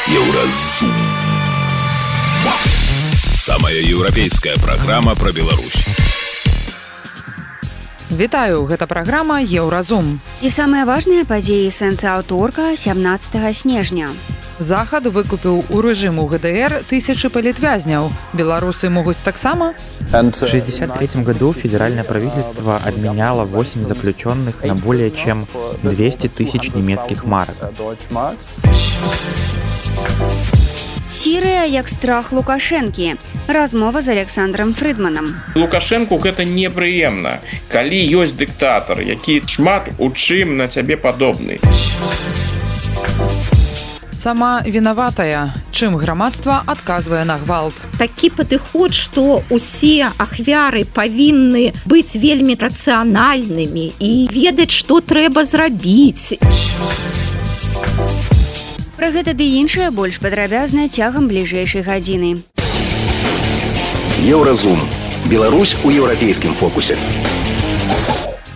Еўразум. Самая еўрапейская праграма пра Беларусь. Вітаю, гэта праграма «Еўразум». І самыя важныя падзеі сэнса аўторка 17 снежня. Захад выкупіў у рэжыму ГДР тысячи политвязняў. Беларусы могуць таксама? В 1963 году федеральное правительство обменяло 8 заключенных на более чем 200 тысяч немецких марок. Сірыя як страх Лукашэнкі. Размова з Александром Фрыдманам. Лукашэнку гэта непрыемна, калі ёсць дыктатар, які шмат у чым на цябе падобны. Сама вінаватая. Чым грамадства адказвае на гвалт? Такі падыход, што ўсе ахвяры павінны быць вельмі рацыянальнымі і ведаць, што трэба зрабіць. Пра гэта ды іншае больш падрабязна цягам бліжэйшай гадзіны. Еўразум. Беларусь у еўрапейскім фокусе.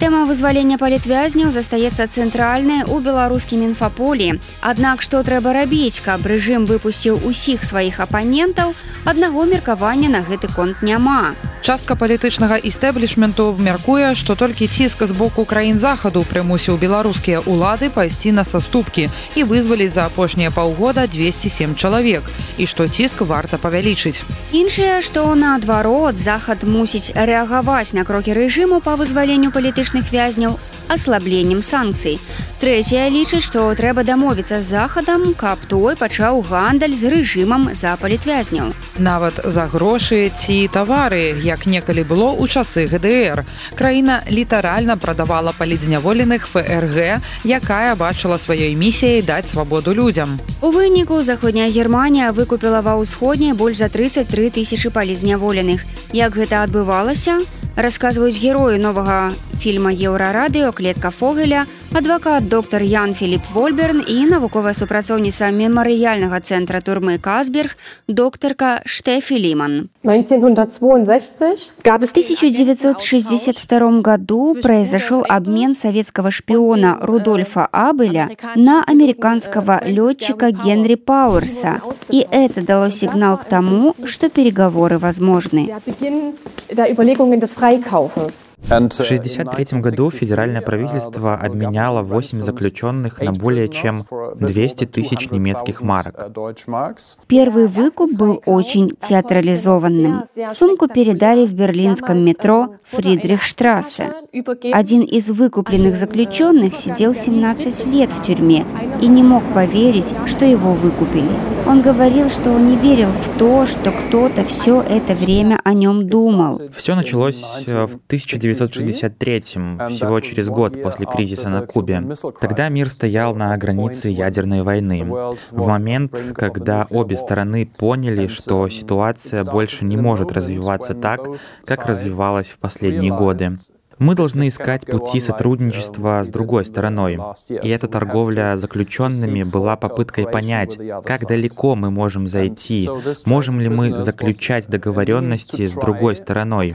Тэма вызвалення палітвязняў застаецца цэнтральнай у беларускім інфаполі. Аднак што трэба рабіць, каб рэжым выпусціў усіх сваіх апанентаў, аднаго меркавання на гэты конт няма. Частка палітычнага істэблішменту мяркуе, што толькі ціск з боку краін захаду прымусіў беларускія ўлады пайсці на саступкі і вызваліць за апошнія паўгода 207 чалавек, і што ціск варта павялічыць. Іншае, што наадварот, захад мусіць рэагаваць на крокі рэжыму па вызваленню палітычных вязняў аслабленнем санкцый. Трэцяе лічыць, што трэба дамовіцца з захадам, каб той пачаў гандаль з рэжымам за палітвязняў. Нават за грошы ці тавары, як некалі было ў часы ГДР. Краіна літаральна прадавала палітзняволеных ФРГ, якая бачыла сваёй місіяй даць свабоду людзям. У выніку заходняя Германія выкупіла ва ўсходняй больш за 33 тысячы палітзняволеных. Як гэта адбывалася? Расказваюць героі новага фільма «Еўрарадыё» Клетка Фогеля, адвакат доктар Ян Філіп Вольберн і навуковая супрацоўніца мемарыяльнага цэнтра турмы Казберг доктарка Штефі Ліман. В 1962 году произошел обмен советского шпиона Рудольфа Абеля на американского летчика Генри Пауэрса. И это дало сигнал к тому, что переговоры возможны. В 1963 году федеральное правительство обменяло 8 заключенных на более чем 200 тысяч немецких марок. Первый выкуп был очень театрализованным. Сумку передали в берлинском метро Фридрихштрассе. Один из выкупленных заключенных сидел 17 лет в тюрьме и не мог поверить, что его выкупили. Он говорил, что не верил в то, что кто-то все это время о нем думал. Все началось в 1963-м, всего через год после кризиса на Кубе. Тогда мир стоял на границе ядерной войны. В момент, когда обе стороны поняли, что ситуация больше не может развиваться так, как развивалась в последние годы. Мы должны искать пути сотрудничества с другой стороной. И эта торговля заключенными была попыткой понять, как далеко мы можем зайти, можем ли мы заключать договоренности с другой стороной.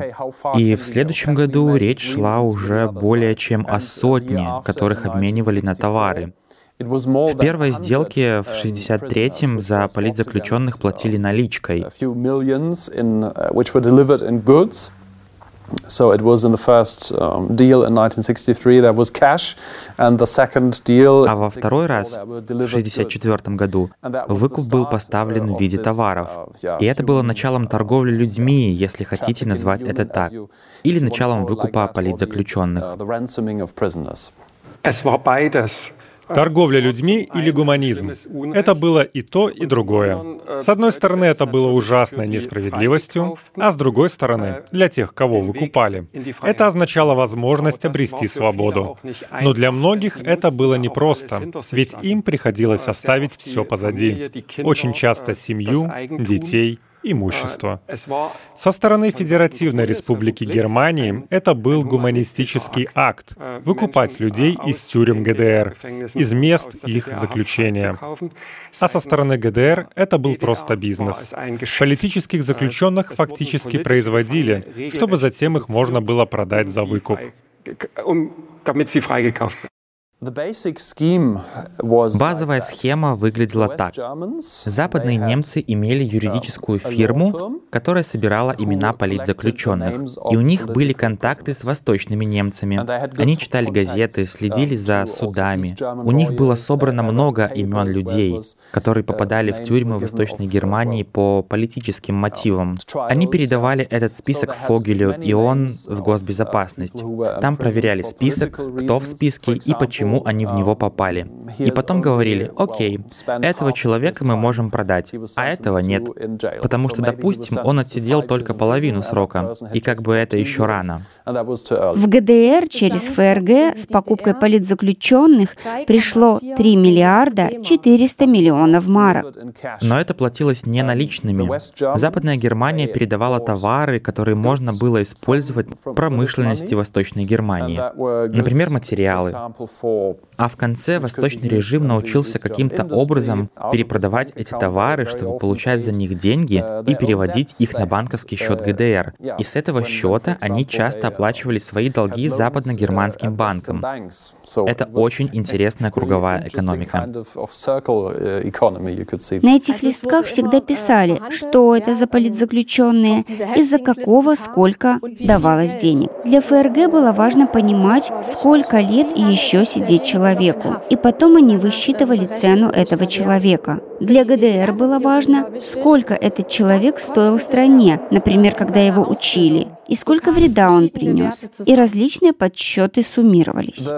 И в следующем году речь шла уже более чем о сотне, которых обменивали на товары. В первой сделке в 1963-м за политзаключенных платили наличкой. So it was in the first deal in 1963 there was cash, and the second deal. А во второй раз, в 1964 году, выкуп был поставлен в виде товаров. И это было началом торговли людьми, если хотите назвать это так, или началом выкупа политзаключенных. Торговля людьми или гуманизм. Это было и то, и другое. С одной стороны, это было ужасной несправедливостью, а с другой стороны, для тех, кого выкупали, это означало возможность обрести свободу. Но для многих это было непросто, ведь им приходилось оставить все позади. Очень часто семью, детей, имущество. Со стороны Федеративной Республики Германии это был гуманистический акт — выкупать людей из тюрем ГДР, из мест их заключения. А со стороны ГДР это был просто бизнес. Политических заключенных фактически производили, чтобы затем их можно было продать за выкуп. Базовая схема выглядела так. Западные немцы имели юридическую фирму, которая собирала имена политзаключенных, и у них были контакты с восточными немцами. Они читали газеты, следили за судами. У них было собрано много имен людей, которые попадали в тюрьмы Восточной Германии по политическим мотивам. Они передавали этот список Фогелю, и он в госбезопасность. Там проверяли список, кто в списке и почему они в него попали. И потом говорили: окей, этого человека мы можем продать, а этого нет. Потому что, допустим, он отсидел только половину срока, и как бы это еще рано. В ГДР через ФРГ с покупкой политзаключенных пришло 3 миллиарда 400 миллионов марок. Но это платилось не наличными. Западная Германия передавала товары, которые можно было использовать в промышленности Восточной Германии. Например, материалы. А в конце восточный режим научился каким-то образом перепродавать эти товары, чтобы получать за них деньги и переводить их на банковский счет ГДР. И с этого счета они часто оплачивали свои долги западно-германским банкам. Это очень интересная круговая экономика. На этих листках всегда писали, что это за политзаключенные, из-за какого сколько давалось денег. Для ФРГ было важно понимать, сколько лет и еще сидеть человеку. И потом они высчитывали цену этого человека. Для ГДР было важно, сколько этот человек стоил стране, например, когда его учили, и сколько вреда он принес. И различные подсчеты суммировались.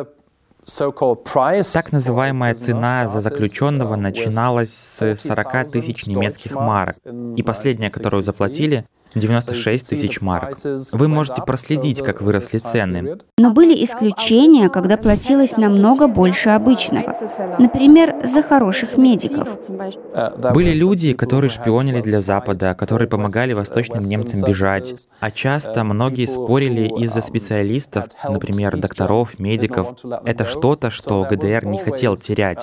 Так называемая цена за заключенного начиналась с 40 тысяч немецких марок, и последняя, которую заплатили, 96 тысяч марок. Вы можете проследить, как выросли цены. Но были исключения, когда платилось намного больше обычного. Например, за хороших медиков. Были люди, которые шпионили для Запада, которые помогали восточным немцам бежать. А часто многие спорили из-за специалистов, например, докторов, медиков. Это что-то, что ГДР не хотел терять.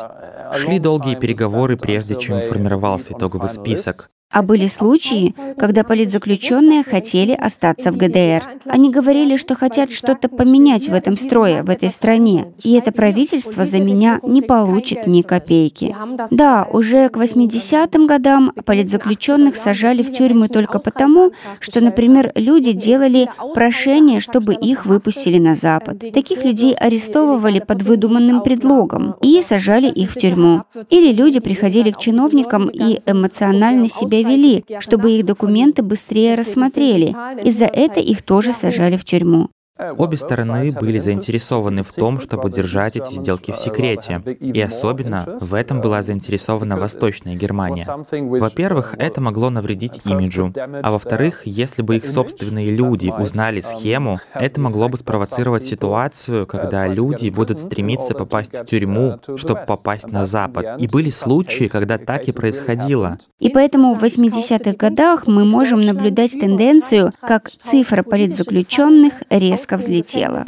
Шли долгие переговоры, прежде чем формировался итоговый список. А были случаи, когда политзаключенные хотели остаться в ГДР. Они говорили, что хотят что-то поменять в этом строе, в этой стране. И это правительство за меня не получит ни копейки. Да, уже к 80-м годам политзаключенных сажали в тюрьмы только потому, что, например, люди делали прошение, чтобы их выпустили на Запад. Таких людей арестовывали под выдуманным предлогом и сажали их в тюрьму. Или люди приходили к чиновникам и эмоционально себя вели, чтобы их документы быстрее рассмотрели, и за это их тоже сажали в тюрьму. Обе стороны были заинтересованы в том, чтобы держать эти сделки в секрете. И особенно в этом была заинтересована Восточная Германия. Во-первых, это могло навредить имиджу. А во-вторых, если бы их собственные люди узнали схему, это могло бы спровоцировать ситуацию, когда люди будут стремиться попасть в тюрьму, чтобы попасть на Запад. И были случаи, когда так и происходило. И поэтому в 80-х годах мы можем наблюдать тенденцию, как цифра политзаключенных резко взлетела.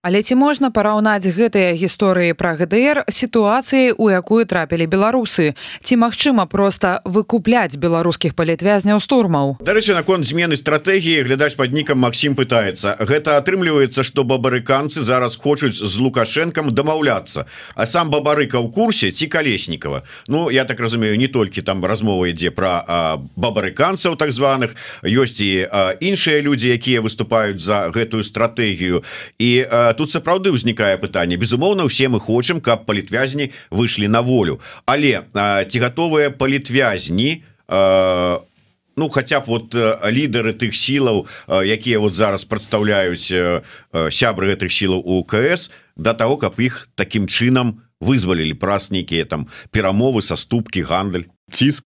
Але ці можна параўнаць гэтыя гісторыі пра ГДР сітуацыяй, у якую трапілі беларусы? Ці магчыма проста выкупляць беларускіх палітвязняў з турмаў? Дарэчы, наконт змены стратэгіі глядач пад нікам Максім пытаецца. Гэта атрымліваецца, што бабарыканцы зараз хочуць з Лукашэнкам дамаўляцца. А сам Бабарыка ў курсе ці Калеснікава? Ну, я так разумею, не толькі там размова ідзе пра бабарыканцаў так званых, ёсць і іншыя людзі, якія выступаюць за гэтую стратэгію. І тут сапраўды ўзнікае пытанне. Безумоўна, усе мы хочам, каб палітвязні выйшлі на волю. Але ці гатовыя палітвязні, ну хаця б вот лідары тых сілаў, якія вот зараз прадстаўляюць сябры гэтых сілаў УКС, да таго, каб іх такім чынам вызвалілі праз нейкія там перамовы, саступкі, гандаль. Ціск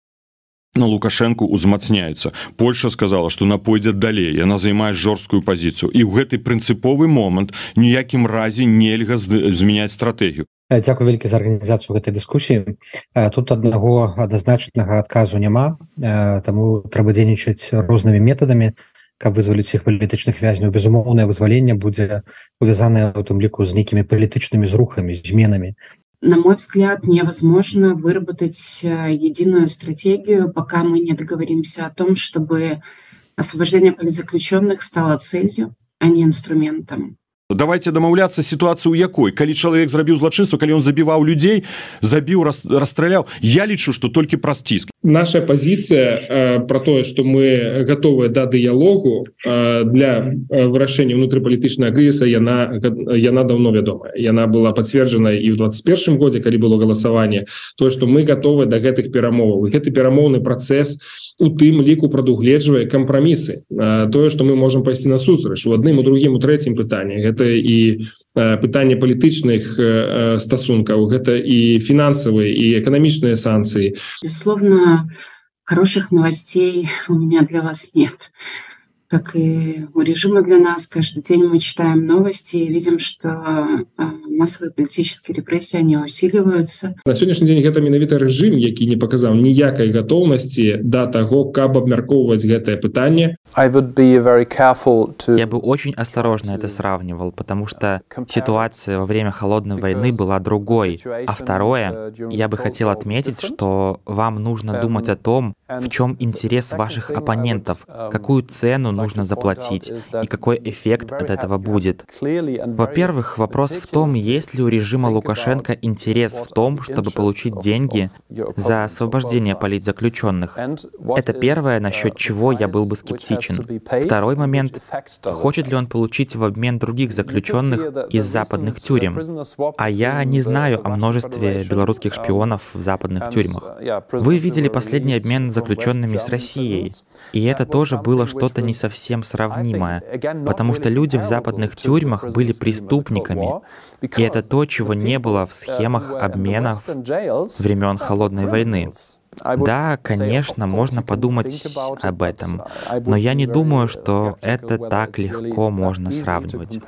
на Лукашенко узмацняецца. Польша сказала, што она пойдзе далей, яна займае жорсткую пазіцыю. І ў гэты прынцыповы момант ніякім разе нельга змяняць стратэгію. Дзякую вялікі за арганізацыю гэтай дыскусіі. Тут аднаго адназначнага адказу няма, таму трэба дзейнічаць рознымі метадамі, каб вызваліць іх палітычных вязняў. Безумоўнае вызваленне будзе увязанае у тым ліку з нейкімі палітычнымі зрухамі, зменамі. На мой взгляд, невозможно выработать единую стратегию, пока мы не договоримся о том, чтобы освобождение политзаключенных стало целью, а не инструментом. Давайте дамаўляцца сітуацыю, якой калі чалавек зрабіў злачынства, калі ён забіваў людзей, забіў, расстраляў, я лічу, што толькі праз ціск. Наша позиция про то, что мы готовы до диалогу для вырашэння внутрипалітычнага крызіса, яна давно вядомая. Яна была подтверждена и в 2021 годзе, калі было голосование, то, что мы готовы до гэтых перамоваў. И гэты перамоўны працэс у тым ліку прадугледжвае кампрамісы. Тое, што мы можам пайсці на сустрач у адным, у другім, у трэцім пытанні. Гэта і пытанне палітычных стасункаў, гэта і фінансавыя, і эканамічныя санкцыі. Безусловно, хороших новостей у меня для вас нет. Как и у режима для нас, каждый день мы читаем новости и видим, что массовые политические репрессии, они усиливаются. На сегодняшний день это менавіта режим, які не показал ніякай готовности до того, каб абмяркоўваць гэтае пытанне. Я бы очень осторожно это сравнивал, потому что ситуация во время холодной войны была другой. А второе, я бы хотел отметить, что вам нужно думать о том, в чем интерес ваших оппонентов, какую цену нужно заплатить и какой эффект от этого будет. Во-первых, вопрос в том, есть ли у режима Лукашенко интерес в том, чтобы получить деньги за освобождение политзаключенных. Это первое, насчет чего я был бы скептичен. Второй момент, хочет ли он получить в обмен других заключенных из западных тюрем. А я не знаю о множестве белорусских шпионов в западных тюрьмах. Вы видели последний обмен заключенными с Россией, и это тоже было что-то не совсем сравнимое, потому что люди в западных тюрьмах были преступниками, и это то, чего не было в схемах обменов времен Холодной войны. Да, конечно, можно подумать об этом, но я не думаю, что это так легко можно сравнивать.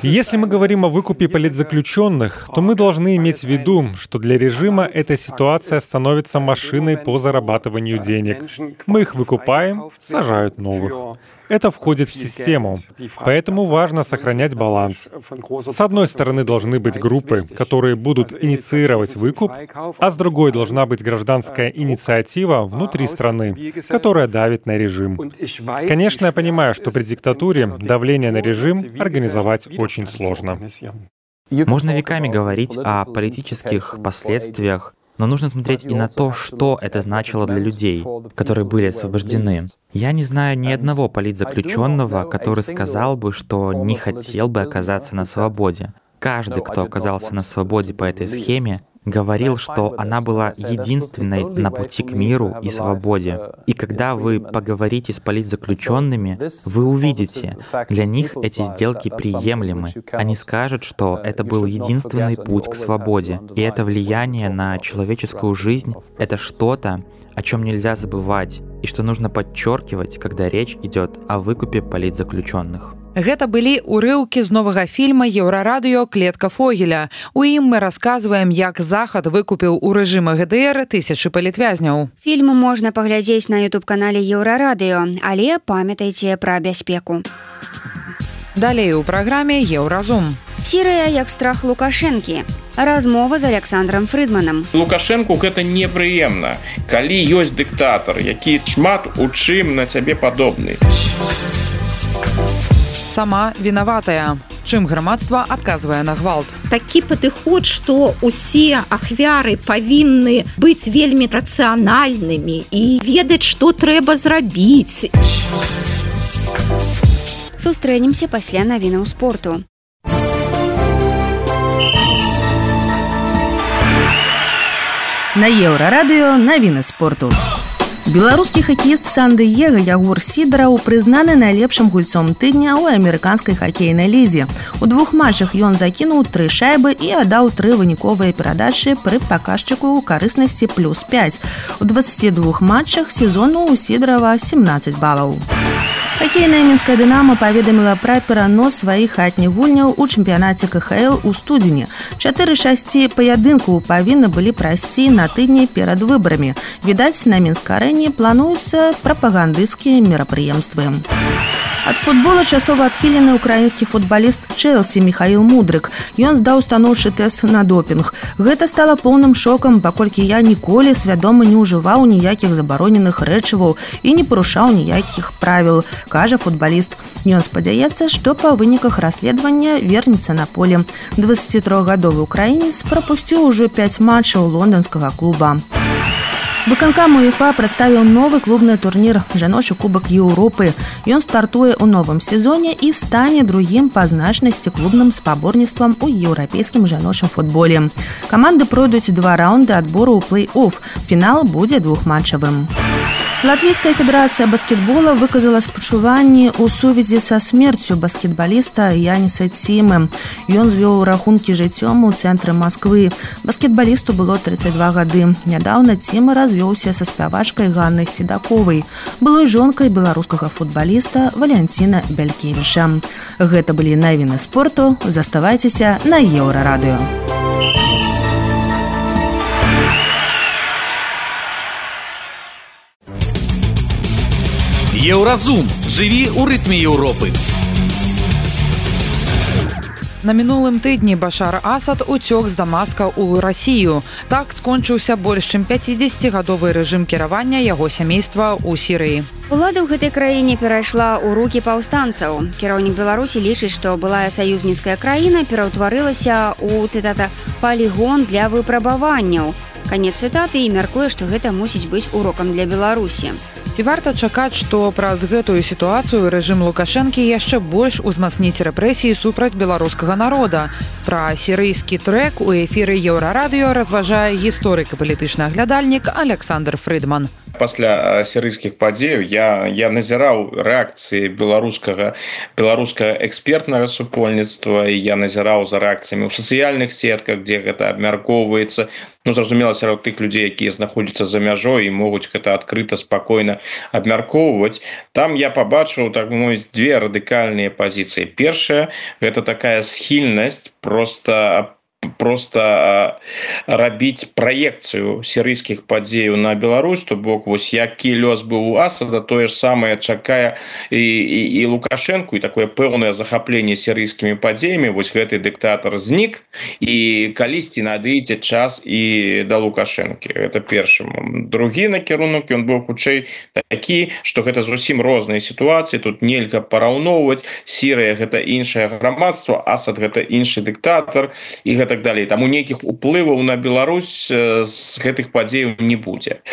Если мы говорим о выкупе политзаключенных, то мы должны иметь в виду, что для режима эта ситуация становится машиной по зарабатыванию денег. Мы их выкупаем, сажают новых. Это входит в систему, поэтому важно сохранять баланс. С одной стороны должны быть группы, которые будут инициировать выкуп, а с другой должна быть гражданская инициатива внутри страны, которая давит на режим. Конечно, я понимаю, что при диктатуре давление на режим организовать очень сложно. Можно веками говорить о политических последствиях, но нужно смотреть и на то, что это значило для людей, которые были освобождены. Я не знаю ни одного политзаключенного, который сказал бы, что не хотел бы оказаться на свободе. Каждый, кто оказался на свободе по этой схеме, говорил, что она была единственной на пути к миру и свободе. И когда вы поговорите с политзаключенными, вы увидите, для них эти сделки приемлемы. Они скажут, что это был единственный путь к свободе. И это влияние на человеческую жизнь — это что-то, о чем нельзя забывать, и что нужно подчеркивать, когда речь идет о выкупе политзаключенных. Гэта былі урыўкі з новага фільма «Еўрарадыё. Клетка Фогеля». У ім мы расказваем, як Захад выкупіў у рэжыма ГДР тысячы палітвязняў. Фільм можна паглядзець на YouTube-канале «Еўрарадыё», але памятайце пра бяспеку. Далей у праграме «Еўразум». Сірыя як страх Лукашэнкі. Размова з Александром Фрыдманам. Лукашэнку гэта непрыемна, калі ёсць дыктатар, які шмат у чым на цябе падобны. Сама вінаватая. Чым грамадства адказвае на гвалт? Такі падыход, што ўсе ахвяры павінны быць вельмі рацыянальнымі і ведаць, што трэба зрабіць. Сустрэнемся пасля навінаў спорту. На Еўрарадыё навіны спорту. Беларускі хакеіст Сан-Дыега Ягор Сідараў прызнаны найлепшым гульцом тыдня ў амерыканскай хакейнай лізе. У 2 матчах ён закінуў 3 шайбы і аддаў 3 выніковыя перадачы пры паказчыку карыснасці +5. У 22 матчах сезону у Сідарава 17 балаў. Хакейная мінская «Дынамо» паведаміла пра перанос сваіх хатніх гульняў у чэмпіянаце КХЛ у студзені. 4-6 паядынку павінны былі прайсці на тыдні перад выбарамі. Відаць, на Мінск-арэне плануюцца прапагандысцкія мерапрыемствы. Ад футбола часова адхілены украінскі футбаліст Чэлсі Міхаіл Мудрык. Ён здаў станоўчы тэст на допінг. Гэта стала поўным шокам, паколькі я ніколі свядома не ўжываў ніякіх забароненых рэчываў і не парушаў ніякіх правіл, кажа футбаліст. Ён спадзяецца, што па выніках расследавання вернецца на поле. 23-гадовы украінец прапусціў ужо 5 матчаў лонданскага клуба. Выканкам УЕФА прадставіў новы клубны турнір «Жаночы кубак Еўропы». Ён стартуе ў новым сезоне і стане другім па значнасці клубным спаборніцтвам у еўрапейскім жаночым футболе. Каманды пройдуць 2 раунды адбору ў плэй-офф. Фінал будзе двухматчавым. Латвійская федэрацыя баскетбола выказала спачуванні ў сувязі са смерцю баскетбаліста Яніса Цімы. Ён звёў рахункі жыццём у цэнтры Масквы. Баскетбалісту было 32 гады. Нядаўна Цімы развёўся са спявачкай Ганнай Седаковай, былой жонкай беларускага футбаліста Валянціна Бялькевіча. Гэта былі навіны спорту. Заставайцеся на Еўрарадыё. Еўразум. Жыві ў рытме Еўропы. На мінулым тыдні Башар Асад уцёк з Дамаска ў Расію. Так скончыўся больш чым 50-гадовы рэжым кіравання яго сямейства ў Сірыі. Улада ў гэтай краіне перайшла ў рукі паўстанцаў. Кіраўнік Беларусі лічыць, што былая саюзніцкая краіна пераўтварылася ў, цытата, «палігон для выпрабаванняў». Канец цытаты, і мяркуе, што гэта мусіць быць урокам для Беларусі. Ці варта чакаць, што праз гэтую сітуацыю рэжым Лукашэнкі яшчэ больш узмацніць рэпрэсіі супраць беларускага народа? Пра сірыйскі трэк у эфіры Еўрарадыё разважае гісторык і палітычны аглядальнік Александр Фрыдман. Пасля сірыйскіх падзеяў я назіраў рэакцыі беларускага экспертнага супольніцтва, і я назіраў за рэакцыямі ў сацыяльных сетках, дзе гэта абмяркоўваецца. Зразумела, сярод тых людзей, якія знаходзяцца за мяжой і могуць гэта адкрыта, спакойна абмяркоўваць. Там я пабачыў, так мовіць, 2 радыкальныя пазіцыі. Першая – гэта такая схільнасць просто рабіць праекцыю сірыйскіх падзеяў на Беларусь, то бок вось які лёс быў у Асада, тое ж самае чакае і Лукашэнку, і такое пэўнае захапленне сірыйскімі падзеямі. Вось гэты дыктатар знік, і калісьці надыдзе час і да Лукашэнкі. Гэта першы момант. Другі накірунак, ён быў хутчэй такі, што гэта зусім розныя сітуацыі, тут нельга параўноўваць. Сірыя – гэта іншае грамадства, Асад – гэта іншы дыктатар, і гэта так далей. Таму нейкіх уплываў на Беларусь з гэтых падзеяў не будзе.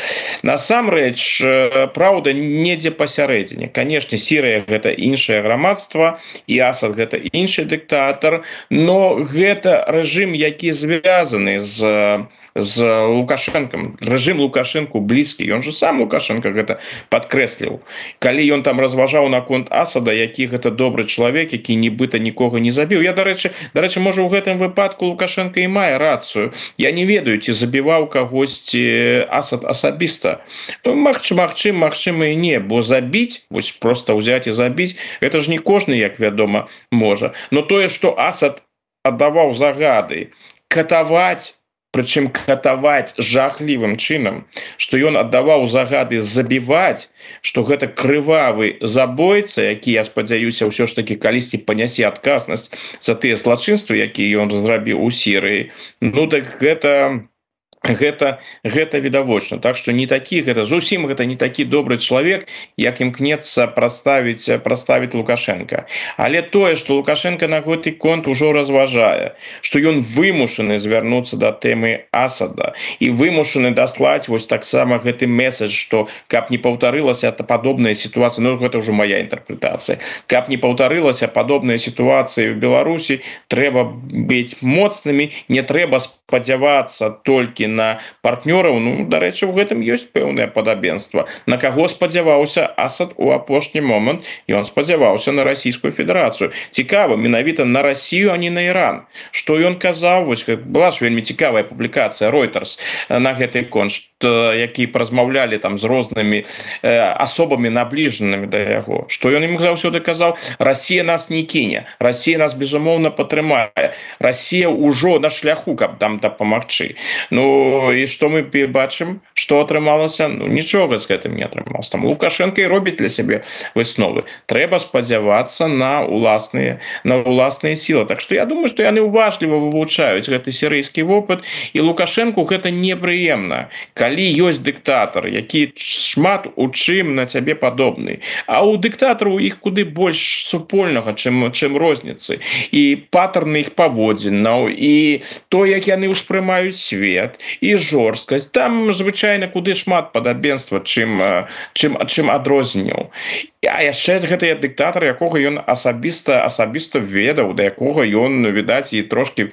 Насамрэч, праўда, недзе пасярэдзіне. Канешне, Сірыя – гэта іншае грамадства, і Асад – гэта іншы дыктатар, но гэта рэжым, які звязаны з Лукашэнкам. Рэжым Лукашэнку блізкі. Ён же сам Лукашэнка гэта падкрэсліў. Калі ён там разважаў наконт Асада, які гэта добры чалавек, які нібыта нікога не забіў. Я, дарэчы, можа, у гэтым выпадку Лукашэнка і мае рацыю. Я не ведаю, ці забіваў кагосьці Асад асабіста. Магчыма і не, бо забіць, вось проста ўзяць і забіць, гэта ж не кожны, як вядома, можа. Но тое, што Асад аддаваў загады катаваць, прычым катаваць жахлівым чынам, што ён аддаваў загады забіваць, што гэта крывавы забойца, які, я спадзяюся, ўсё ж такі калісьці панясе адказнасць за тыя злачынствы, якія ён зрабіў у Сірыі. Ну так гэта відавочна. Так што не такі, гэта зусім гэта не такі добры чалавек, як імкнецца прадставіць Лукашэнка. Але тое, што Лукашэнка на гэты конт ужо разважае, што ён вымушаны звярнуцца да тэмы Асада і вымушаны даслаць вось таксама гэты месседж, што каб не паўтарылася падобная сітуацыя, ну гэта ўжо моя інтэрпрэтацыя, каб не паўтарылася падобная сітуацыя ў Беларусі, трэба быць моцнымі, не трэба спадзявацца толькі на партнёраў. Ну, дарэчы, у гэтым ёсць пэўнае падабенства. На каго спадзяваўся Асад у апошні момант? Ён спадзяваўся на Расійскую Федэрацыю. Цікава, менавіта на Расію, а не на Іран. Што ён казаў? Вось была ж вельмі цікавая публікацыя Reuters на гэты конт, які паразмаўлялі там з рознымі асобамі набліжанымі да яго. Што ён ім заўсёды казаў? Расія нас не кіне. Расія нас, безумоўна, падтрымае. Расія ўжо на шляху, каб там дапамагчы. Ну, і што мы бачым, што атрымалася? Ну, нічога з гэтым не атрымалася. Там Лукашенко і робіць для сябе высновы. Трэба спадзявацца на ўласныя сілы. Так што я думаю, што яны уважліва вывучаюць гэты сірыйскі вопыт, і Лукашенку гэта непрыемна, калі ёсць дыктатар, які шмат у чым на цябе падобны. А ў дыктатару іх куды больш супольнага, чым розніцы. І паттерны іх паводзінаў, і то, як яны ўспрымаюць свет, і жорсткасць. Там, звычайна, куды шмат падабенства, чым адрозненняў. А яшчэ гэта дыктатар, якога ён асабіста ведаў, да якога ён, відаць, і трошкі,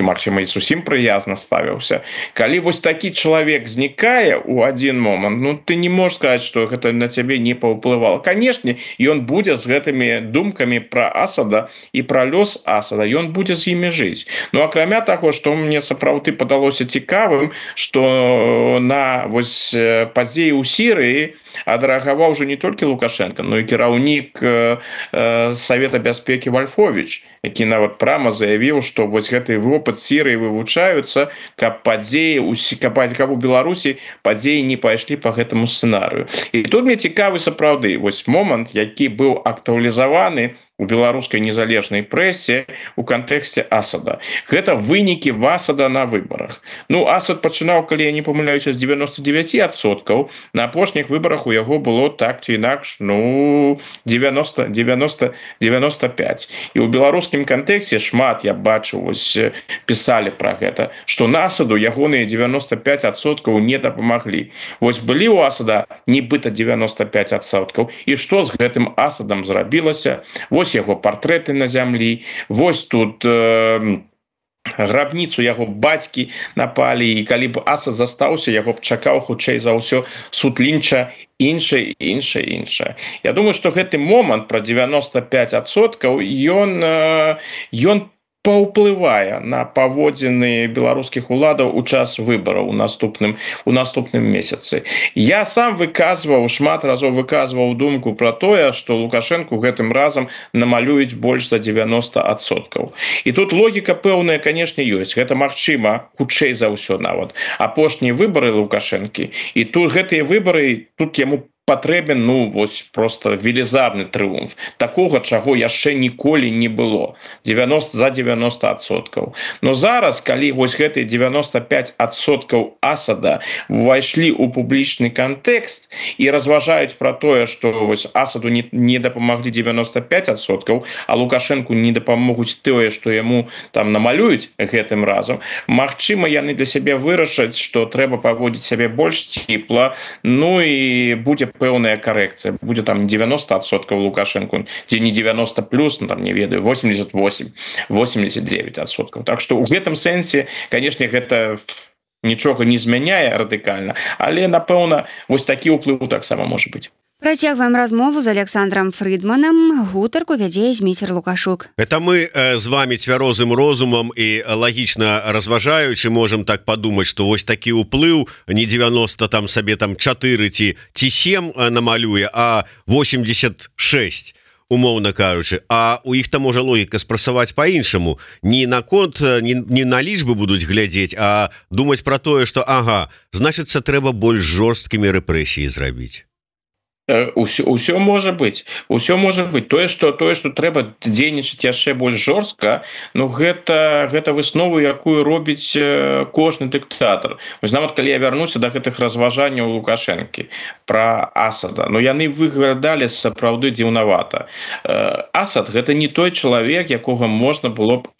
магчыма, і зусім прыязна ставіўся. Калі вось такі чалавек знікае ў адзін момант, ну, ты не можаш сказаць, што гэта на цябе не паўплывала. Канешне, ён будзе з гэтымі думкамі пра Асада і пра лёс Асада, ён будзе з імі жыць. Ну, акрамя таго, што мне сапраўды падалося цікавым, што на вось падзеі ў Сірыі адрэагаваў уже не толькі Лукашенко, но і кіраўнік Савета бяспекі Вольфович, які нават прама заявіў, што вось гэты вопыт Сірыі вывучаюцца, каб у Беларусі падзеі не пайшлі па гэтаму сцэнарыю. І тут мне цікавы сапраўды вось момант, які быў актуалізаваны у беларускай незалежнай прэсе у кантэксце Асада. Гэта вынікі Асада на выбарах. Ну, Асад пачынаў, калі я не памыляюся, з 99%, на апошніх выбарах у яго было так ці інакш, 90-95. І ў беларускім кантэксце шмат, я бачу, пісалі пра гэта, што на Асаду ягоныя 95% не дапамаглі. Вось былі ў Асада нібыта 95%, і што з гэтым Асадам зрабілася? Вось яго партрэты на зямлі, вось тут грабніцу яго бацькі напалі, і калі б Асад застаўся, яго б чакаў хутчэй за ўсё суд лінча, іншае. Я думаю, што гэты момант пра 95% ён паўплывае на паводзіны беларускіх уладаў у час выбараў у наступным месяцы. Я сам шмат разоў выказваў думку пра тое, што Лукашенку гэтым разам намалююць больш за 90%. І тут логіка пэўная, канешне, ёсць. Гэта магчыма, хутчэй за ўсё нават. Апошнія выбары Лукашэнкі, і тут гэтыя выбары, тут яму патрэбен, вось просто велізарны трыумф. Такога, чаго яшчэ ніколі не было. 90%. Но зараз, калі вось гэтыя 95% Асада ўвайшлі ў публічны кантэкст і разважаюць пра тое, што вось Асаду не дапамаглі 95%, а Лукашенку не дапамогуць тое, што яму там намалююць гэтым разам, магчыма, яны для сябе вырашаць, што трэба паводзіць сябе больш ціпла, і будзе пэўная карэкцыя. Будзе там 90% Лукашенко, ці не 90 плюс, там, не ведаю, 88, 89%. Так што ў гэтым сэнсе, канешне, гэта нічога не змяняе радыкальна, але, напэўна, вось такі ўплыў таксама можа быць. Працягваем размову з Александром Фрыдманам. Гутарку вядзе Зміцер Лукашук. Это мы з вами цвярозым розумам і лагічна разважаючы можам так падумаць, што вось такі ўплыў не 90 там сабе там 4 ці 7 намалюе, а 86, умоўна кажучы. А у іх там можа логіка спрасаваць па-іншаму. Не на конт, не на лічбы будуць глядзець, а думаць пра тое, што значыцца, трэба больш жорсткімі рэпрэсіі зрабіць. Усё можа быць. Тое, што трэба дзейнічаць яшчэ больш жорстка, гэта выснову, якую робіць кожны дыктатар. Вось нават калі я вярнуся да гэтых разважанняў Лукашэнкі пра Асада, яны выглядалі сапраўды дзіўнавата. Асад гэта не той чалавек, якога можна было б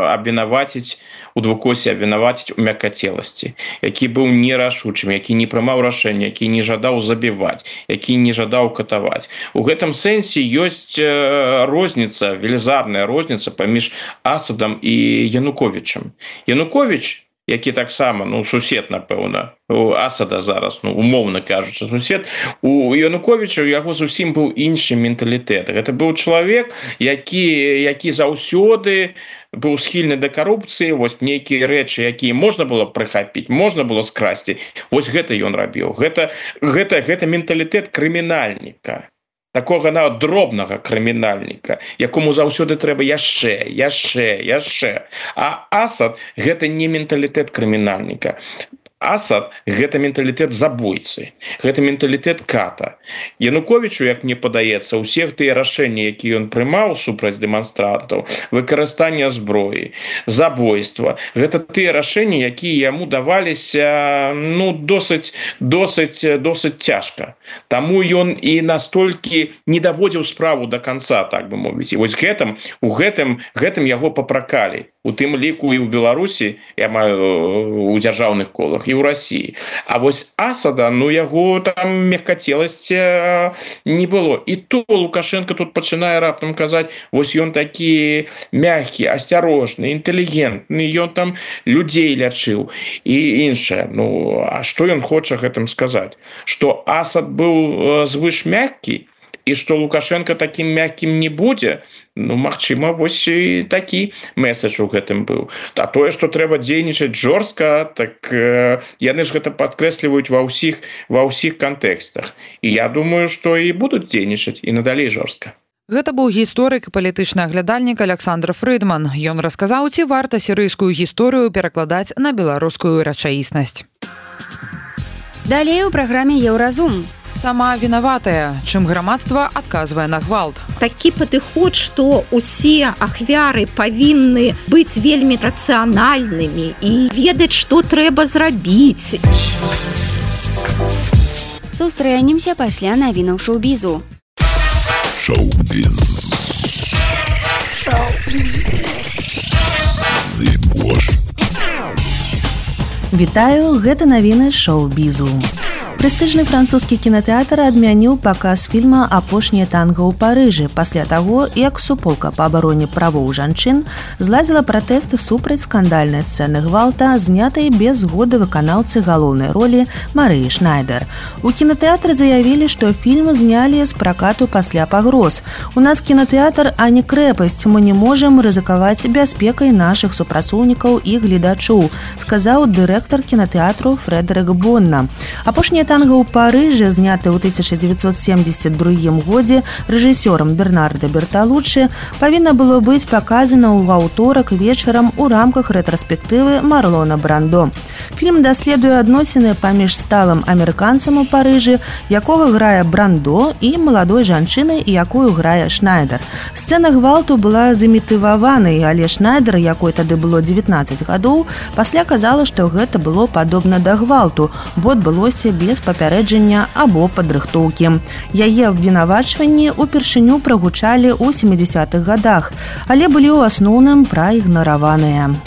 абвінаваціць у двукосе, абвінаваціць у мяккацеласці, які быў нерашучым, які не прымаў рашэння, які не жадаў забіваць, які не жадаў катаваць. У гэтым сэнсе ёсць розніца, велізарная розніца паміж Асадам і Януковічам. Януковіч, які таксама, сусед, напэўна, у Асада зараз, умоўна кажучы, сусед, у Януковіча у яго зусім быў іншы менталітэт. Гэта быў чалавек, які заўсёды быў схільны да карупцыі, вось нейкія рэчы, якія можна было прыхапіць, можна было скрасці, вось гэта ён рабіў. Гэта менталітэт крымінальніка. такога нават дробнага крымінальніка, якому заўсёды трэба яшчэ. А Асад – гэта не менталітэт крымінальніка. Асад – гэта менталітэт забойцы, гэта менталітэт ката. Януковічу, як мне падаецца, ўсе тыя рашэнні, якія ён прымаў супраць дэманстрантаў, выкарыстанне зброі, забойства, гэта тыя рашэнні, якія яму даваліся досыць цяжка. Таму ён і настолькі не даводзіў справу до конца, так бы мовіць. І вось у гэтым яго папракалі. У тым ліку і ў Беларусі, я маю у дзяржаўных колах, і ў Расіі. А вось Асада, яго там мяккацеласці не было. І то Лукашенко тут пачынае раптам казаць, вось ён такі мяккі, асцярожны, інтэлігентны, ён там людзей лячыў і іншае. А што ён хоча гэтым сказаць? Што Асад быў звыш мяккі, і што Лукашенко такім мяккім не будзе, магчыма, вось і такі месседж у гэтым быў. А тое, што трэба дзейнічаць жорстка, так яны ж гэта падкрэсліваюць ва ўсіх кантэкстах. І я думаю, што і будуць дзейнічаць і надалей жорстка. Гэта быў гісторык і палітычны аглядальнік Александр Фрыдман. Ён расказаў, ці варта сірыйскую гісторыю перакладаць на беларускую рэчаіснасць. Далей у праграме «Еўразум». Сама вінаватая, чым грамадства адказвае на гвалт. Такі падыход, што усе ахвяры павінны быць вельмі рацыянальнымі і ведаць, што трэба зрабіць. Сустрэнемся пасля навінаў шоу-бізу. Шоу-біз. Вітаю, гэта навіны шоу-бізу. Прэстыжны французскі кінатэатр адмяніў паказ фільма «Апошняе танга ў Парыжы» пасля таго, як суполка па абароне правоў жанчын зладзіла пратэсты супраць скандальнай сцэны гвалта, знятай без згоды выканаўцы галоўнай ролі Марыі Шнайдер. У кінатэатры заявілі, што фільм знялі з пракату пасля пагроз. У нас кінатэатр, а не крэпасць, мы не можам рызыкаваць бяспекай нашых супрацоўнікаў і гледачоў, сказаў дырэктар кінатэатру Фрэдэрык Бонна. «Апошняе танга ў Парыжы», зняты ў 1972 годзе рэжысёрам Бернардо Берталуччы, павінна было быць паказана ў аўторак вечарам у рамках рэтраспектывы Марлона Брандо. Фільм даследуе адносіны паміж сталым амерыканцам у Парыжы, якога грае Брандо, і маладой жанчынай, якую грае Шнайдер. Сцэна гвалту была замітываванай, але Шнайдер, якой тады было 19 гадоў, пасля казала, што гэта было падобна да гвалту, бо адбылося без папярэджання або падрыхтоўкі. Яе абвінавачванні ўпершыню прагучалі ў 70-х гадах, але былі ў асноўным праігнараваныя.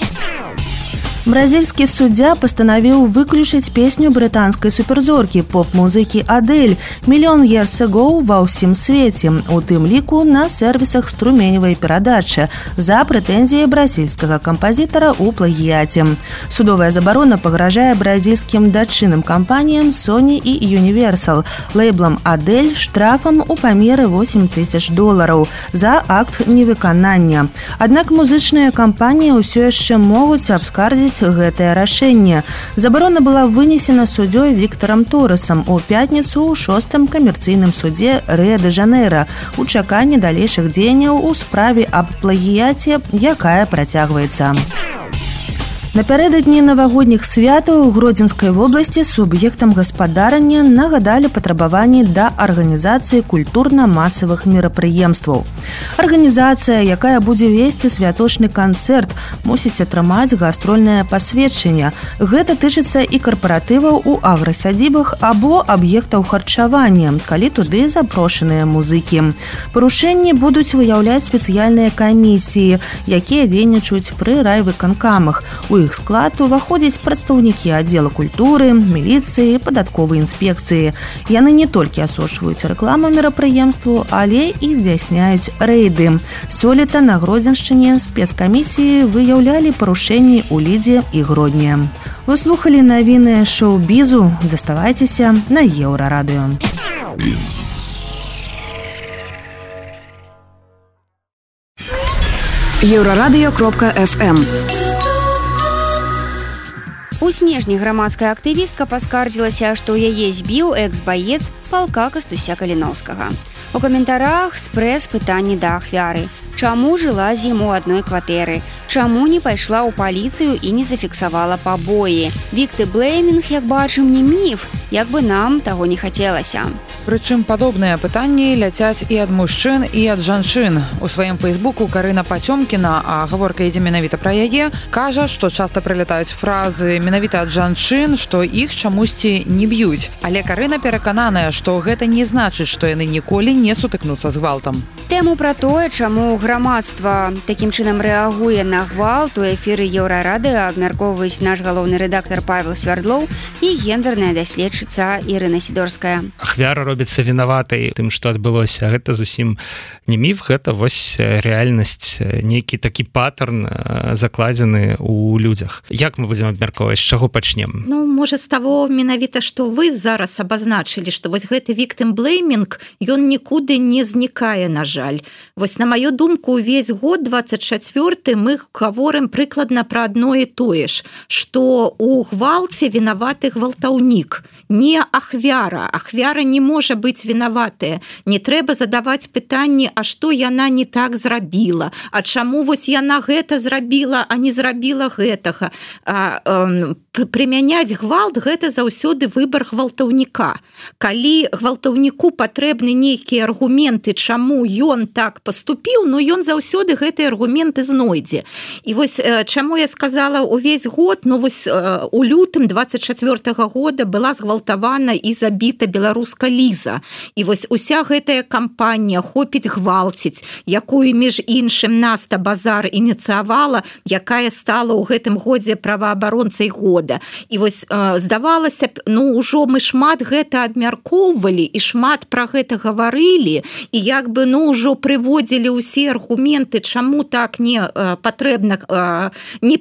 Бразільскі суддзя пастанавіў выключыць песню брытанскай суперзоркі поп-музыкі Адель «Million Years Ago» ва ўсім свеце, у тым ліку на сервісах струменевай перадачы за прэтэнзіяй бразільскага кампазітара ў плагіяце. Судовая забарона пагражае бразільскім дачынным кампаніям Sony і Universal, лейблам Адель штрафам у памеры $8,000 за акт невыканання. Аднак музычныя кампаніі ўсё яшчэ могуць абскардзіць гэтае рашэнне. Забарона была вынесена суддзёй Віктарам Торесам у пятніцу ў 6-м камерцыйным судзе Рыа-дэ-Жанэйра у чаканні далейшых дзеянняў у справе аб плагіяце, якая працягваецца. Напярэдадні навагодніх святаў у Гродзенскай вобласці суб'ектам гаспадарання нагадалі патрабаванні да арганізацыі культурна-масавых мерапрыемстваў. Арганізацыя, якая будзе весці святочны канцэрт, мусіць атрымаць гастрольнае пасведчанне. Гэта тычыцца і карпаратываў у аграсядзібах або аб'ектаў харчавання, калі туды запрошаныя музыкі. Парушэнні будуць выяўляць спецыяльныя камісіі, якія дзейнічаюць пры райвыканкамах. У іх склад уваходзяць прадстаўнікі аддзела культуры, міліцыі, падатковай інспекцыі. Яны не толькі асочваюць рэкламу мерапрыемству, але і здзяйсняюць рэйды. Сёлета на Гродзеншчыне спецкамісіі выяўлялі парушэнні ў Лідзе і Гродні. Вы слухалі навіны шоу-бізу. Заставайцеся на Еўрарадыё. Еўрарадыё.фм. У снежні грамадская актывістка паскардзілася, што яе збіў экс-баец палка Кастуся Каліноўскага. У каментарах спрэс пытанні да ахвяры. Чаму жыла з ім у адной кватэры? Чаму не пайшла ў паліцыю і не зафіксавала пабоі? Вікты-блэймінг, як бачым, не міф, як бы нам таго не хацелася. Прычым падобныя пытанні ляцяць і ад мужчын, і ад жанчын. У сваім фейсбуку Карына Пацёмкіна, а гаворка ідзе менавіта пра яе, кажа, што часта прылятаюць фразы менавіта ад жанчын, што іх чамусьці не б'юць. Але Карына перакананая, што гэта не значыць, што яны ніколі не сутыкнуцца з гвалтам. Тэму пра тое, чаму грамадства такім чынам рэагуе на гвалт, у эфіры Еўрарадыё абмяркоўваюць наш галоўны рэдактар Павел Свярдлоў і гендерная даследчыца Ірына Сідорская. Ахвяра робіцца вінаватай тым, што адбылося. Гэта зусім не міф, гэта вось рэальнасць, нейкі такі паттерн закладзены ў людзях. Як мы будзем абмяркоўваць, з чаго пачнем? Ну, можа, з таго менавіта, што вы зараз абазначылі, што вось гэты victim-blaming, ён нікуды не знікае, на жаль. Вось на маю думку, увесь год 24 мы гаворым прыкладна пра адно і тое ж, што у гвалце вінаваты гвалтаўнік, не ахвяра. Ахвяра не можа быць вінаватая. Не трэба задаваць пытанні, а што яна не так зрабіла, а чаму вось яна гэта зрабіла, а не зрабіла гэтага. Прымяняць гвалт – гэта заўсёды выбар гвалтаўніка. Калі гвалтаўніку патрэбны нейкія аргументы, чаму ён так паступіў, но ён заўсёды гэтыя аргументы знойдзе. І вось чаму я сказала увесь год, ну вось у лютым 24-го года была згвалтавана і забіта беларуска Ліза. І вось уся гэтая кампанія «Хопіць гвалціць», якую, між іншым, Наста Базар ініцыявала, якая стала ў гэтым годзе праваабаронцай года. І вось здавалася б, ну ўжо мы шмат гэта абмяркоўвалі і шмат пра гэта гаварылі, і як бы ну ўжо прыводзілі ўсе аргументы, чаму так не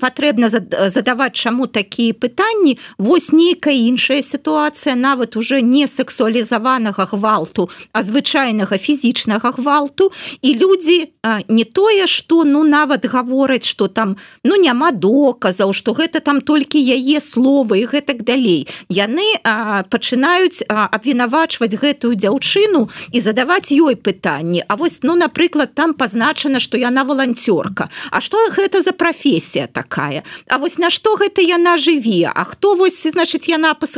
патрэбна задаваць чаму такія пытанні. Вось нейкая іншая сітуацыя, нават уже не сексуалізаванага гвалту, а звычайнага фізічнага гвалту, і людзі не тое, што ну нават гавораць, што там ну няма доказаў, што гэта там толькі яе словы і гэтак далей. Яны пачынаюць абвінавачваць гэтую дзяўчыну і задаваць ёй пытанні. А вось, ну, напрыклад, там пазначана, што яна валанцёрка. А што гэта за прафесія такая? А вось на што гэта яна жыве? А хто вось, значыць,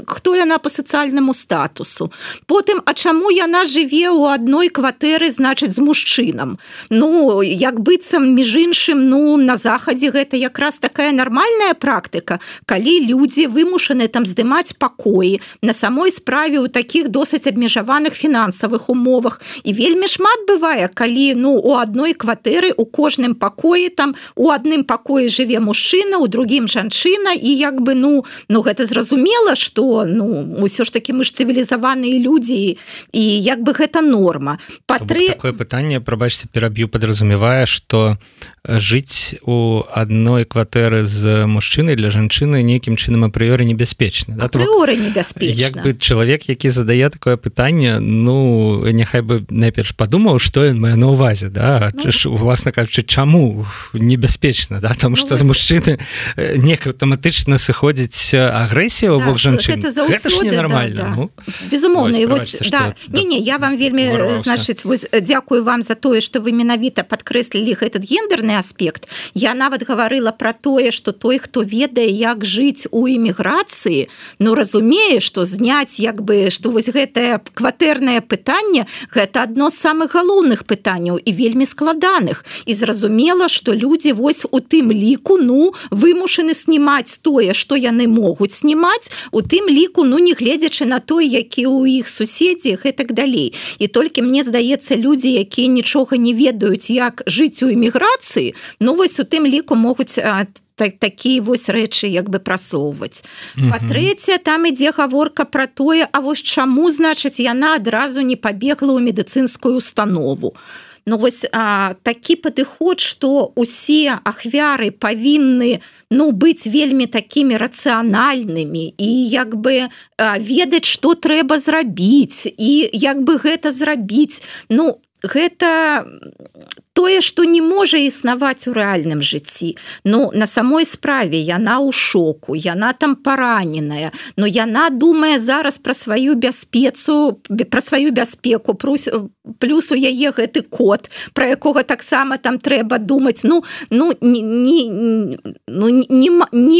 хто яна па сацыяльнаму статусу? Потым, а чаму яна жыве ў адной кватэры, значыць, з мужчынам? Ну, як быццам, між іншым, ну, на захадзе гэта якраз такая нармальная практыка, калі людзі вымушаны там здымаць пакоі на самой справе ў такіх досыць абмежаваных фінансавых умовах. І вельмі шмат бывае, калі ну, у адной кватэры, у кожным пакоі, там, у адным пакоі жыве мужчына, у другім жанчына, і як бы, ну гэта зразумела, што, ну, ўсё ж такі мы ж цывілізаваныя людзі, і як бы гэта норма. Такое пытанне, прабачце, пераб'ю, падразумевае, што жыць у адной кватэры з мужчынай для жанчыны нейкім чынам апрыёры небяспечна. Апрыёры небяспечна. Як бы чалавек, які задае такое пытанне, ну, няхай бы найперш падумаў, што ён мае на ўвазе, да? Уласна кажучы, чаму небяспечна, да? Таму што з мужчыны неяк аўтаматычна сыходзіць агрэсія ў бок жанчын. Гэта ж ненармальна. Ну, безумоўна. І вось, да. Не, я вам вельмі, значыць, дзякую вам за тое, што вы менавіта падкрэслілі гэтый гендерны аспект. Я нават гаварыла пра тое, што той, хто ведае, як жыць у эміграцыі, ну, разумее, што зняць, як бы, што вось гэтае кватэрнае пытанне, гэта адно з самых галоўных пытанняў і вельмі складаных. І зразумела, што людзі вось у тым ліку, ну, вымушаны снімаць тое, што яны могуць снімаць, у тым ліку, ну, не гледзячы на той, які ў іх суседзі, гэтак далей. І толькі, мне здаецца, людзі, якія нічога не ведаюць, як жыць у эміграцыі, ну, вось у тым ліку могуць такія вось рэчы як бы прасоўваць. Па-трэцяе, там ідзе гаворка пра тое, а вось чаму, значыць, яна адразу не пабегла ў медыцынскую установу. Ну, вось такі падыход, што усе ахвяры павінны, ну, быць вельмі такімі рацыянальнымі і як бы ведаць, што трэба зрабіць і як бы гэта зрабіць. Ну, гэта тое, што не можа існаваць у рэальным жыцці. Ну, на самой справе яна ў шоку, яна там параненая, но яна думае зараз пра сваю бяспеку, плюс у яе гэты кот, про якога таксама там трэба думаць. Не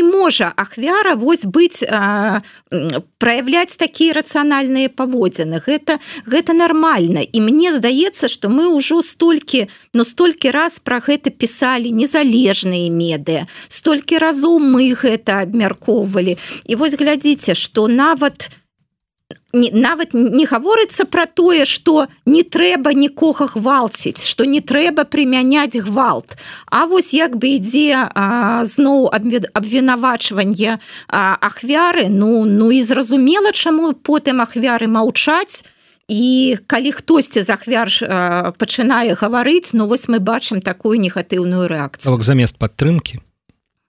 можа ахвяра вось быць, праявляць такія рацыянальныя паводзіны. Гэта нармальна. І мне здаецца, што мы ўжо столькі раз пра гэта пісалі незалежныя медыа, столькі разоў мы гэта абмяркоўвалі. І вось глядзіце, што нават не гаворыцца пра тое, што не трэба нікога гвалціць, што не трэба прымяняць гвалт. А вось як бы ідзе зноў абвінавачванне ахвяры, і зразумела, чаму потым ахвяры маўчаць. І калі хтосьці з ахвяр пачынае гаварыць, вось мы бачым такую негатыўную рэакцыю. Замест падтрымкі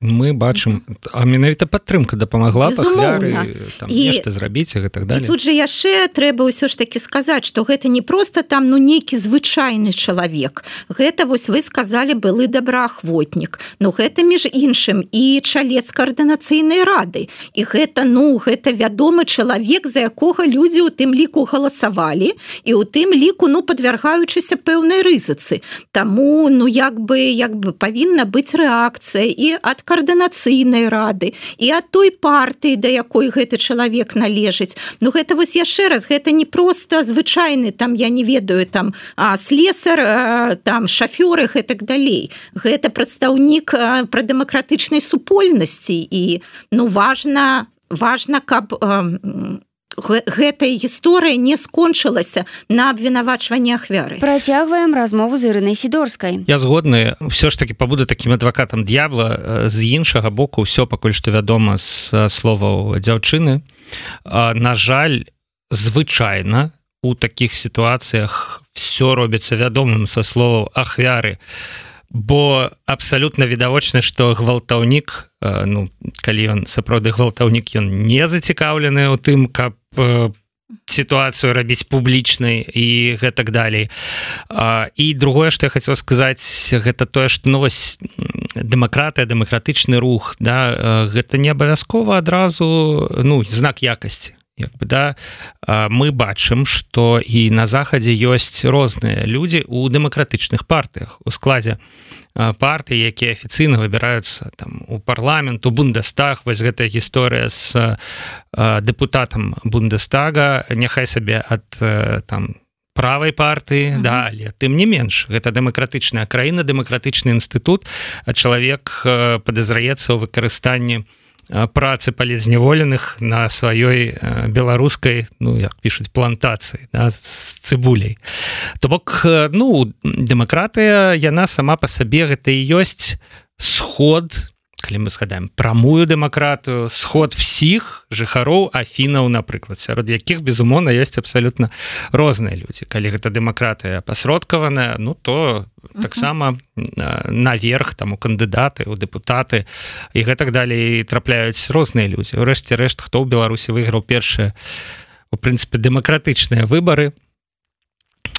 мы бачым, а менавіта падтрымка дапамагла ахвяры нешта зрабіць і так далее. І тут жа яшчэ трэба ўсё ж такі сказаць, што гэта не проста там нейкі звычайны чалавек. Гэта, вось вы сказалі, былы добраахвотнік. Гэта, між іншым, і чалец каардынацыйнай рады. І гэта вядомы чалавек, за якога людзі ў тым ліку галасавалі, і ў тым ліку, падвяргаючыся пэўнай рызыцы. Таму, як бы павінна быць рэакцыя і ад каардынацыйнай рады, і ад той партыі, да якой гэты чалавек належыць. Гэта вось яшчэ раз, гэта не проста звычайны, я не ведаю, слесар, шафёр і так далей. Гэта прадстаўнік прадэмакратычнай супольнасці, і важна, каб гэтая гісторыя не скончылася на абвінавачванні ахвяры. Працягваем размову з Ірынай Сідорскай. Я згодны, ўсё ж такі пабуду такім адвакатам д'ябла. З іншага боку, ўсё пакуль што вядома з словаў дзяўчыны. На жаль, звычайна у такіх сітуацыях все робіцца вядомым са словаў ахвяры, бо абсалютна відавочна, што гвалтаўнік, калі ён сапраўды гвалтаўнік, ён не зацікаўлены ў тым, каб сітуацыю рабіць публічнай і гэтак далей. І другое, што я хацеў сказаць, гэта тое, што дэмакратыя, дэмакратычны рух, гэта не абавязкова адразу знак якасці. Мы бачым, што і на захадзе ёсць розныя людзі ў дэмакратычных партыях, у складзе партый, якія афіцыйна выбіраюцца у парламент, у Бундестаг. Вось гэтая гісторыя з дэпутатам Бундестага, няхай сабе ад правай партыі, але тым не менш, гэта дэмакратычная краіна, дэмакратычны інстытут, а чалавек падазраецца ў выкарыстанні працы палізняволеных на сваёй беларускай, як пішуць, плантацыі з цыбуляй. То бок, дэмакратыя, яна сама па сабе, гэта і ёсць сход, калі мы згадаем прамую дэмакратыю, сход всіх жыхароў Афінаў, напрыклад, сярод якіх, безумоўна, ёсць абсалютна розныя людзі. Калі гэта дэмакратыя пасродкаваная, то таксама наверх у кандыдаты, у дэпутаты і гэтак далей трапляюць розныя людзі. Урэшце рэшт, хто ў Беларусі выйграў першыя, у прынцыпе, дэмакратычныя выбары,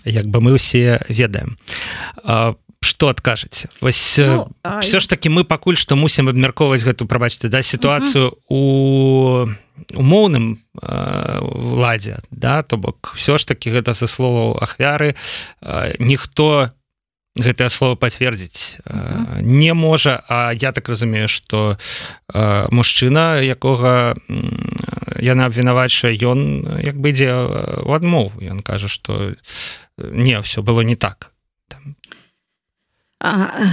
як бы мы ўсе ведаем. Што адкажаце? Вось все ж таки мы пакуль што мусім абмяркоўваць гэту, прабачце, сітуацыю у умоўным ладзе, то бок все ж таки гэта са словаў ахвяры, ніхто гэтае слово пацвердзіць не можа, а я так разумею, што мужчына, якога яна абвінавачвае, ён як бы ідзе ў адмову, ён кажа, што не, все было не так.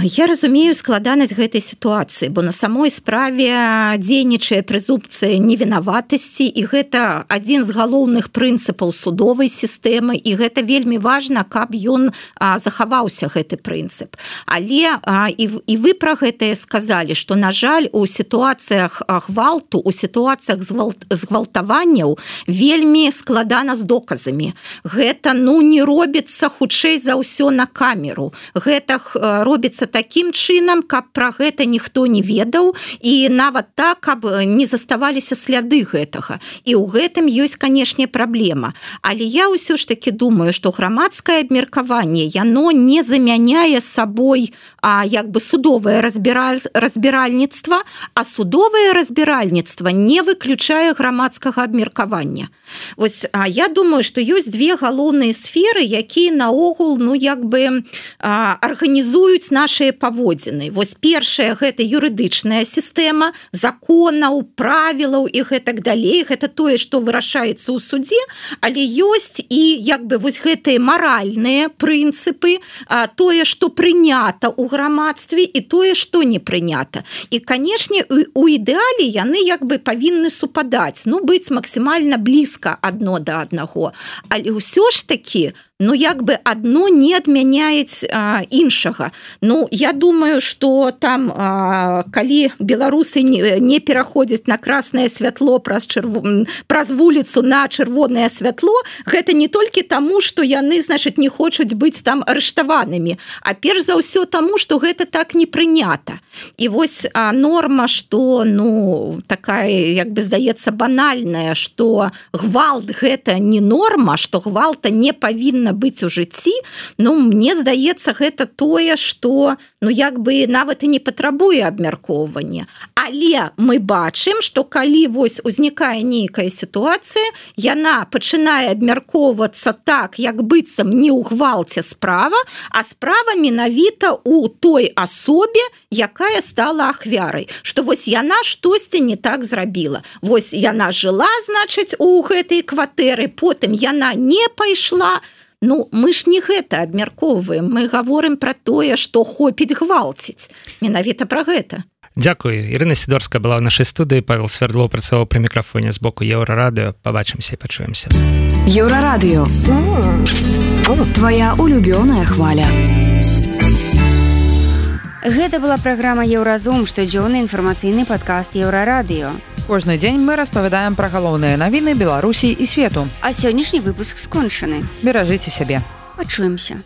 Я разумею складанасць гэтай сітуацыі, бо на самой справе дзейнічае прэзумпцыя невінаватасці, і гэта адзін з галоўных прынцыпаў судовай сістэмы, і гэта вельмі важна, каб ён захаваўся, гэты прынцып. Але і вы пра гэта сказалі, што, на жаль, у сітуацыях гвалту, у сітуацыях згвалтаванняў вельмі складана з доказамі. Гэта, не робіцца хутчэй за ўсё на камеру. Гэта робіцца такім чынам, каб пра гэта ніхто не ведаў і нават так, каб не заставаліся сляды гэтага. І ў гэтым ёсць, канешне, праблема. Але я ўсё ж таки думаю, што грамадскае абмеркаванне, яно не замяняе сабой як бы судовае разбіральніцтва, а судовае разбіральніцтва не выключае грамадскага абмеркавання. Вось, я думаю, што ёсць две галоўныя сферы, якія наогул, ну, як бы арганізуюць нашыя паводзіны. Вось першая – гэта юрыдычная сістэма, законаў, правілаў і гэтак далей. Гэта тое, што вырашаецца ў судзе, але ёсць і, як бы, вось гэтыя маральныя прынцыпы, тое, што прынята ў грамадстве і тое, што не прынята. І, канешне, у ідэале яны, як бы, павінны супадаць, ну, быць максімальна блізка адно да аднаго. Але ўсё ж такі, ну, як бы адно не адмяняюць іншага. Ну, я думаю, што там, калі беларусы не пераходзяць на краснае святло праз вуліцу на чырвонае святло, гэта не толькі таму, што яны, значыць, не хочуць быць там арыштаванымі, а перш за ўсё таму, што гэта так не прынята. І вось норма, што, ну, такая, як бы, здаецца, банальная, што гвалт гэта не норма, што гвалта не павінна быць у жыцці, ну, мне здаецца, гэта тое, што, ну, як бы нават і не патрабуе абмяркоўвання. Але мы бачым, што калі вось узнікае нейкая сітуацыя, яна пачынае абмяркоўвацца так, як быццам не ў гвалце справа, а справа менавіта ў той асобе, якая стала ахвярай. Што вось яна штосьці не так зрабіла. Вось яна жыла, значыць, у гэтай кватэры, потым яна не пайшла. Ну, мы ж не гэта абмяркоўваем, мы гаворым пра тое, што хопіць гвалціць. Менавіта пра гэта. Дзякуй. Ірына Сідорская была ў нашай студыі, Павел Свердлоў працаваў пры мікрафоне з боку Еўрарадыё. Пабачымся і пачуемся. Еўрарадыё. Твоя улюбёная хваля. Гэта была праграма «Еўразум», штодзённы інфармацыйны падкаст Еўрарадыё. Кожны дзень мы распавядаем пра галоўныя навіны Беларусі і свету. А сённяшні выпуск скончаны. Беражыце сябе. Пачуемся.